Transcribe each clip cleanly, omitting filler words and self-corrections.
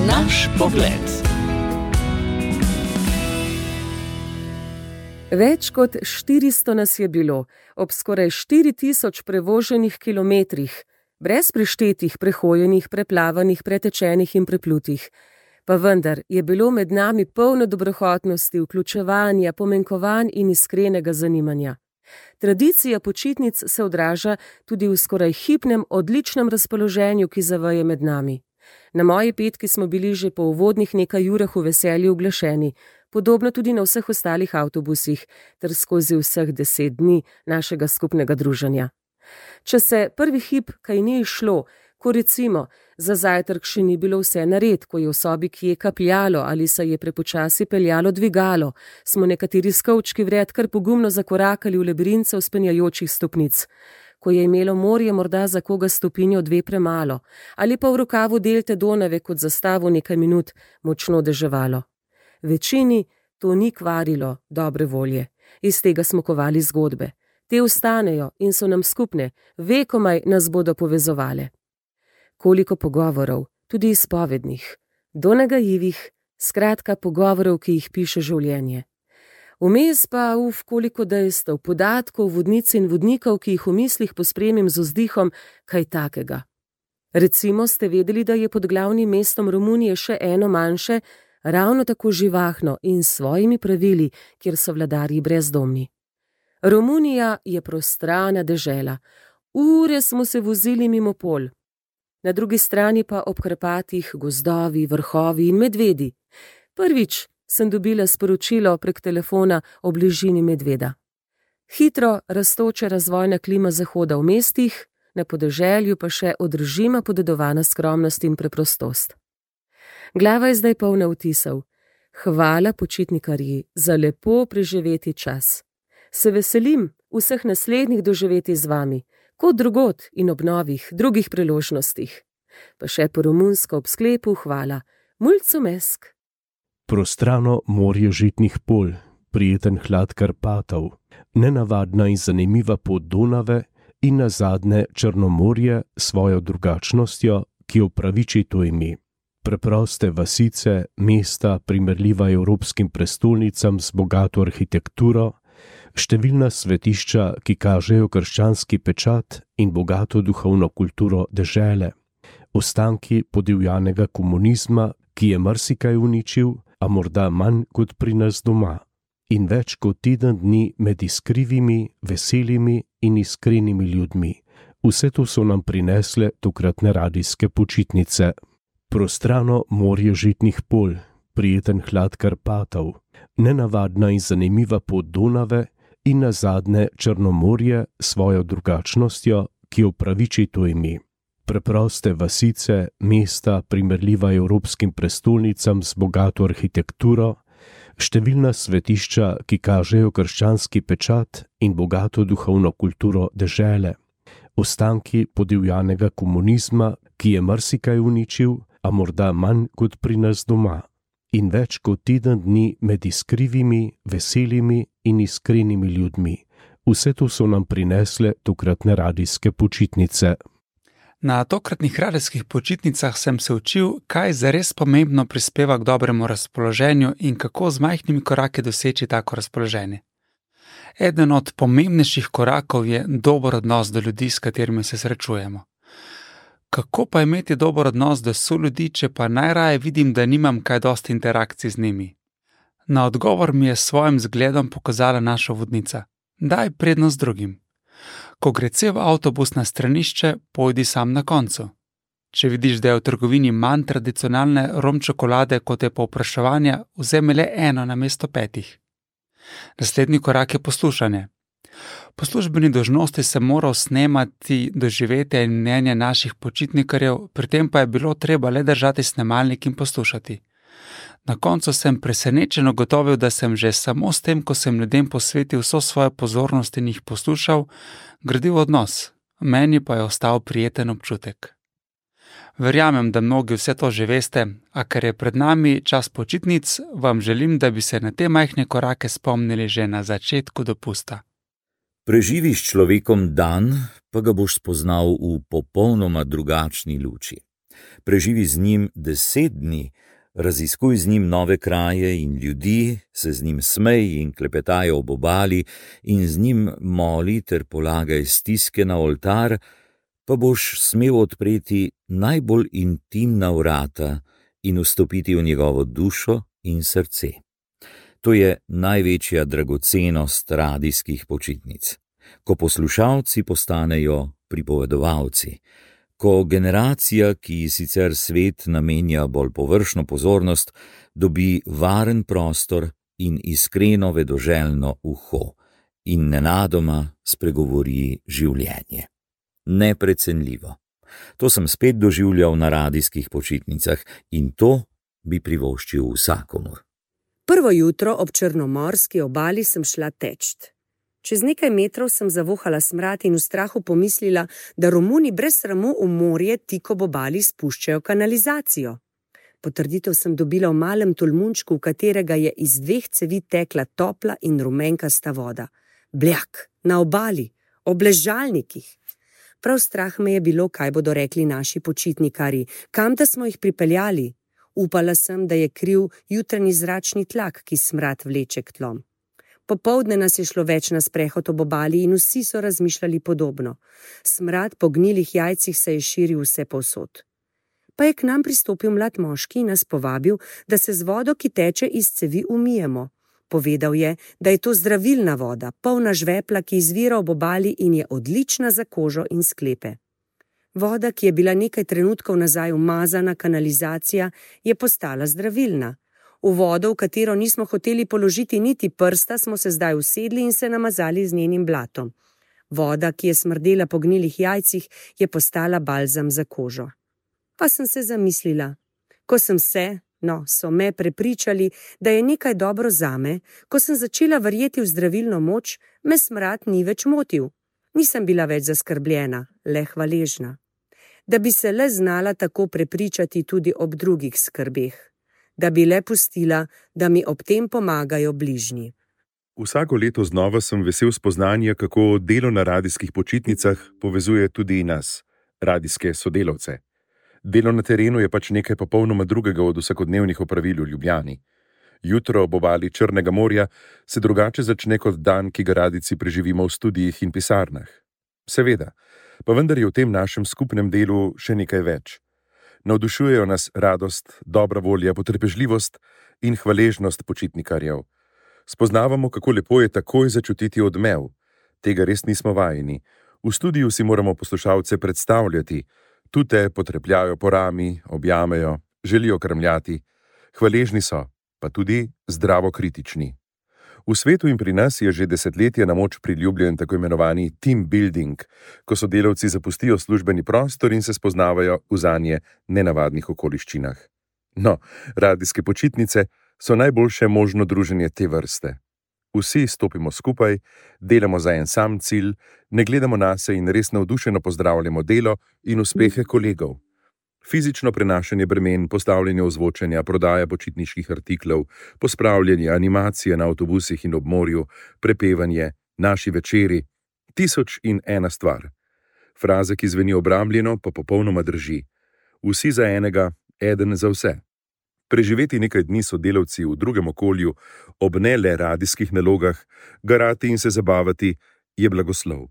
Naš pogled. Več kot 400 nas je bilo, ob skoraj 4000 prevoženih kilometrih, brez preštetih, prehojenih, preplavanih, pretečenih in preplutih. Pa vendar je bilo med nami polno dobrohotnosti, vključevanja, pomenkovanj in iskrenega zanimanja. Tradicija počitnic se odraža tudi v skoraj hipnem, odličnem razpoloženju, ki zavaje med nami. Na moji petki smo bili že po uvodnih nekaj urah v veselju uglašeni, podobno tudi na vseh ostalih avtobusih, ter skozi vseh 10 dni našega skupnega druženja. Če se prvi hip kaj ni išlo, ko recimo za zajtrk še ni bilo vse nared, ko je v sobi kje kapljalo ali se je prepočasi peljalo dvigalo, smo nekateri skovčki vred kar pogumno zakorakali v labirintce vzpenjajočih stopnic. Ko je imelo morje morda za koga stopinjo 2 premalo, ali pa v rokavu delte Donave kot zastavo nekaj minut močno deževalo. Večini to ni kvarilo dobre volje, iz tega smo kovali zgodbe. Te ostanejo in so nam skupne, vekomaj nas bodo povezovale. Koliko pogovorov, tudi izpovednih, donagajivih, skratka pogovorov, ki jih piše življenje. Vmes pa koliko dejstev, podatkov, vodnic in vodnikov, ki jih v mislih pospremim z vzdihom, kaj takega. Recimo ste vedeli, da je pod glavnim mestom Romunije še eno manjše, ravno tako živahno in s svojimi pravili, kjer so vladarji brezdomni. Romunija je prostrana dežela. Ure smo se vozili mimo pol. Na drugi strani pa ob krpatih gozdovi, vrhovi in medvedi. Prvič sem dobila sporočilo prek telefona o bližini medveda. Hitro rastoče razvojna klima zahoda v mestih, na podeželju pa še od režima podedovana skromnost in preprostost. Glava je zdaj polna vtisov. Hvala počitnikarji za lepo preživeti čas. Se veselim vseh naslednjih doživeti z vami, kot drugod in ob novih, drugih priložnostih. Pa še po romunsko ob sklepu hvala. Mulțumesc! Prostrano morje žitnih polj, prijeten hlad Karpatov, nenavadna in zanimiva pot Donave in nazadnje Črnomorje s svojo drugačnostjo, ki opraviči to ime. Preproste vasice, mesta, primerljiva evropskim prestolnicam z bogato arhitekturo, številna svetišča, ki kažejo krščanski pečat in bogato duhovno kulturo dežele, ostanki podivjanega komunizma, ki je marsikaj uničil, a morda manj kot pri nas doma, in več kot teden dni med iskrivimi, veselimi in iskrenimi ljudmi. Vse to so nam prinesle tokratne radijske počitnice. Prostrano morje žitnih polj, prijeten hlad Karpatov, nenavadna in zanimiva pot Donave in nazadnje Črnomorje s svojo drugačnostjo, ki opraviči to ime. Preproste vasice, mesta, primerljiva evropskim prestolnicam z bogato arhitekturo, številna svetišča, ki kažejo krščanski pečat in bogato duhovno kulturo dežele, ostanki podivjanega komunizma, ki je marsikaj uničil, a morda manj kot pri nas doma, in več kot teden dni med iskrivimi, veselimi in iskrenimi ljudmi. Vse to so nam prinesle tokratne radijske počitnice. Na tokratnih radijskih počitnicah sem se učil, kaj zares pomembno prispeva k dobremu razpoloženju in kako z majhnimi koraki doseči tako razpoloženje. Eden od pomembnejših korakov je dober odnos do ljudi, s katerimi se srečujemo. Kako pa imeti dober odnos do soljudi, če pa najraje vidim, da nimam kaj dosti interakcij z njimi? Na odgovor mi je s svojim zgledom pokazala naša vodnica. Daj prednost drugim. Ko gre cel avtobus na stranišče, pojdi sam na koncu. Če vidiš, da je v trgovini manj tradicionalne rom čokolade, kot je povpraševanja, vzemi le eno namesto 5. Naslednji korak je poslušanje. Po službeni dolžnosti sem moral snemati doživetja in mnenja naših počitnikarjev, pri tem pa je bilo treba le držati snemalnik in poslušati. Na koncu sem presenečeno ugotovil, da sem že samo s tem, ko sem ljudem posvetil vso svojo pozornost in jih poslušal, gradil odnos, meni pa je ostal prijeten občutek. Verjamem, da mnogi vse to že veste, a ker je pred nami čas počitnic, vam želim, da bi se na te majhne korake spomnili že na začetku dopusta. Preživi s človekom dan, pa ga boš spoznal v popolnoma drugačni luči. Preživi z njim 10 dni, raziskuj z njim nove kraje in ljudi, se z njim smej in klepetaj ob obali in z njim moli ter polagaj stiske na oltar, pa boš smel odpreti najbolj intimna vrata in vstopiti v njegovo dušo in srce. To je največja dragocenost radijskih počitnic. Ko poslušalci postanejo pripovedovalci, ko generacija, ki sicer svet namenja bolj površno pozornost, dobi varen prostor in iskreno vedoželjno uho in nenadoma spregovori življenje. Neprecenljivo. To sem spet doživljal na radijskih počitnicah in to bi privoščil vsakomur. Prvo jutro ob črnomorski obali sem šla teč. Čez nekaj metrov sem zavohala smrad in v strahu pomislila, da Romuni brez sramu v morje tik ob obali spuščajo kanalizacijo. Potrditev sem dobila v malem tolmunčku, v katerega je iz 2 cevi tekla topla in rumenkasta voda. Bljak, na obali, ob ležalnikih. Prav strah me je bilo, kaj bodo rekli naši počitnikarji, kam da smo jih pripeljali. Upala sem, da je kriv jutranji zračni tlak, ki smrad vleče k tlom. Popoldne nas je šlo več na sprehod ob obali in vsi so razmišljali podobno. Smrad po gnilih jajcih se je širil vse povsod. Pa je k nam pristopil mlad moški in nas povabil, da se z vodo, ki teče iz cevi, umijemo. Povedal je, da je to zdravilna voda, polna žvepla, ki izvira ob obali in je odlična za kožo in sklepe. Voda, ki je bila nekaj trenutkov nazaj umazana kanalizacija, je postala zdravilna. V vodo, v katero nismo hoteli položiti niti prsta, smo se zdaj usedli in se namazali z njenim blatom. Voda, ki je smrdela po gnilih jajcih, je postala balzam za kožo. Pa sem se zamislila. Ko sem so me prepričali, da je nekaj dobro zame, ko sem začela verjeti v zdravilno moč, me smrad ni več motil. Nisem bila več zaskrbljena, le hvaležna. Da bi se le znala tako prepričati tudi ob drugih skrbeh. Da bi le pustila, da mi ob tem pomagajo bližnji. Vsako leto znova sem vesel spoznanja, kako delo na radijskih počitnicah povezuje tudi nas, radijske sodelavce. Delo na terenu je pač nekaj popolnoma drugega od vsakodnevnih opravil v Ljubljani. Jutro ob obali Črnega morja se drugače začne kot dan, ki ga radijci preživimo v studijih in pisarnah. Seveda, pa vendar je v tem našem skupnem delu še nekaj več. Navdušujejo nas radost, dobra volja, potrpežljivost in hvaležnost počitnikarjev. Spoznavamo, kako lepo je takoj začutiti odmev. Tega res nismo vajeni. V studiu si moramo poslušalce predstavljati. Tu te potrepljajo po rami, objamejo, želijo krmljati. Hvaležni so, pa tudi zdravo kritični. V svetu in pri nas je že desetletja na moč priljubljen tako imenovani team building, ko sodelavci zapustijo službeni prostor in se spoznavajo v zanje nenavadnih okoliščinah. No, radijske počitnice so najboljše možno druženje te vrste. Vsi stopimo skupaj, delamo za en sam cilj, ne gledamo nase in res navdušeno pozdravljamo delo in uspehe kolegov. Fizično prenašanje bremen, postavljanje ozvočenja, prodaja počitniških artiklov, pospravljanje, animacije na avtobusih in ob morju, prepevanje, naši večeri, 1001 stvar. Fraza, ki zveni obrambljeno, pa popolnoma drži. Vsi za enega, eden za vse. Preživeti nekaj dni sodelavci v drugem okolju, ob ne le radijskih nalogah, garati in se zabavati, je blagoslov.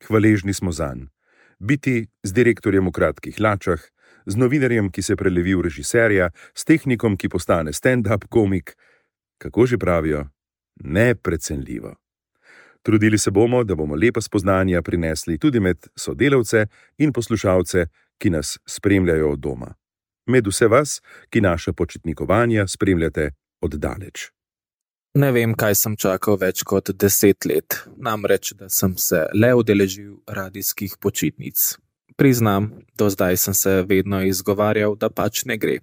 Hvaležni smo zanj. Biti z direktorjem v kratkih hlačah, z novinarjem, ki se prelevi v režiserja, s tehnikom, ki postane stand-up komik, kako že pravijo, neprecenljivo. Trudili se bomo, da bomo lepa spoznanja prinesli tudi med sodelavce in poslušalce, ki nas spremljajo od doma. Med vse vas, ki naša počitnikovanja spremljate od daleč. Ne vem, kaj sem čakal več kot 10 let, namreč, da sem se le udeležil radijskih počitnic. Priznam, do zdaj sem se vedno izgovarjal, da pač ne gre.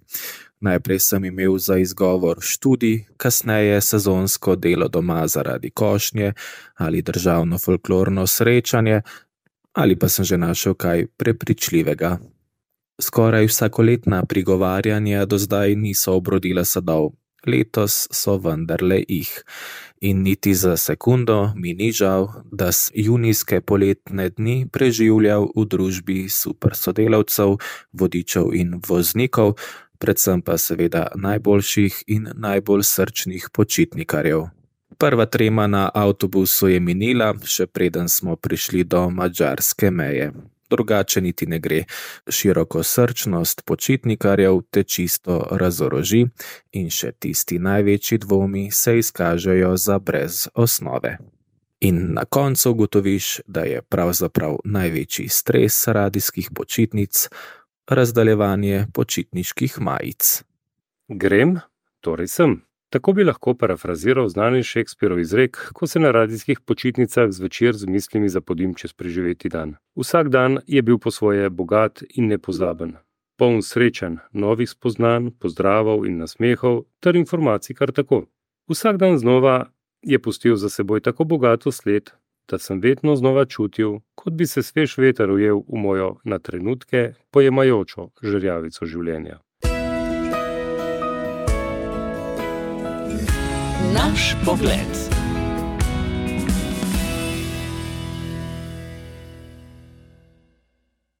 Najprej sem imel za izgovor študij, kasneje sezonsko delo doma zaradi košnje ali državno folklorno srečanje, ali pa sem že našel kaj prepričljivega. Skoraj vsakoletna prigovarjanja do zdaj niso obrodila sadov. letos so vendarle jih. In niti za sekundo mi ni žal, da s junijske poletne dni preživljal v družbi super sodelavcev, vodičev in voznikov, predvsem pa seveda najboljših in najbolj srčnih počitnikarjev. Prva trema na avtobusu je minila, še preden smo prišli do madžarske meje. Drugače niti ne gre. Širokosrčnost počitnikarjev te čisto razoroži in še tisti največji dvomi se izkažejo za brez osnove. In na koncu ugotoviš, da je pravzaprav največji stres radijskih počitnic razdaljevanje počitniških majic. Grem, torej sem. Tako bi lahko parafraziral znani Shakespearov izrek, ko se na radijskih počitnicah zvečer z mislimi zapodim čez preživeti dan. Vsak dan je bil po svoje bogat in nepozaben. Poln srečanj, novih spoznanj, pozdravov in nasmehov ter informacij kar tako. Vsak dan znova je pustil za seboj tako bogato sled, da sem vedno znova čutil, kot bi se svež veter ujel v mojo na trenutke pojemajočo žerjavico življenja. Naš pogled.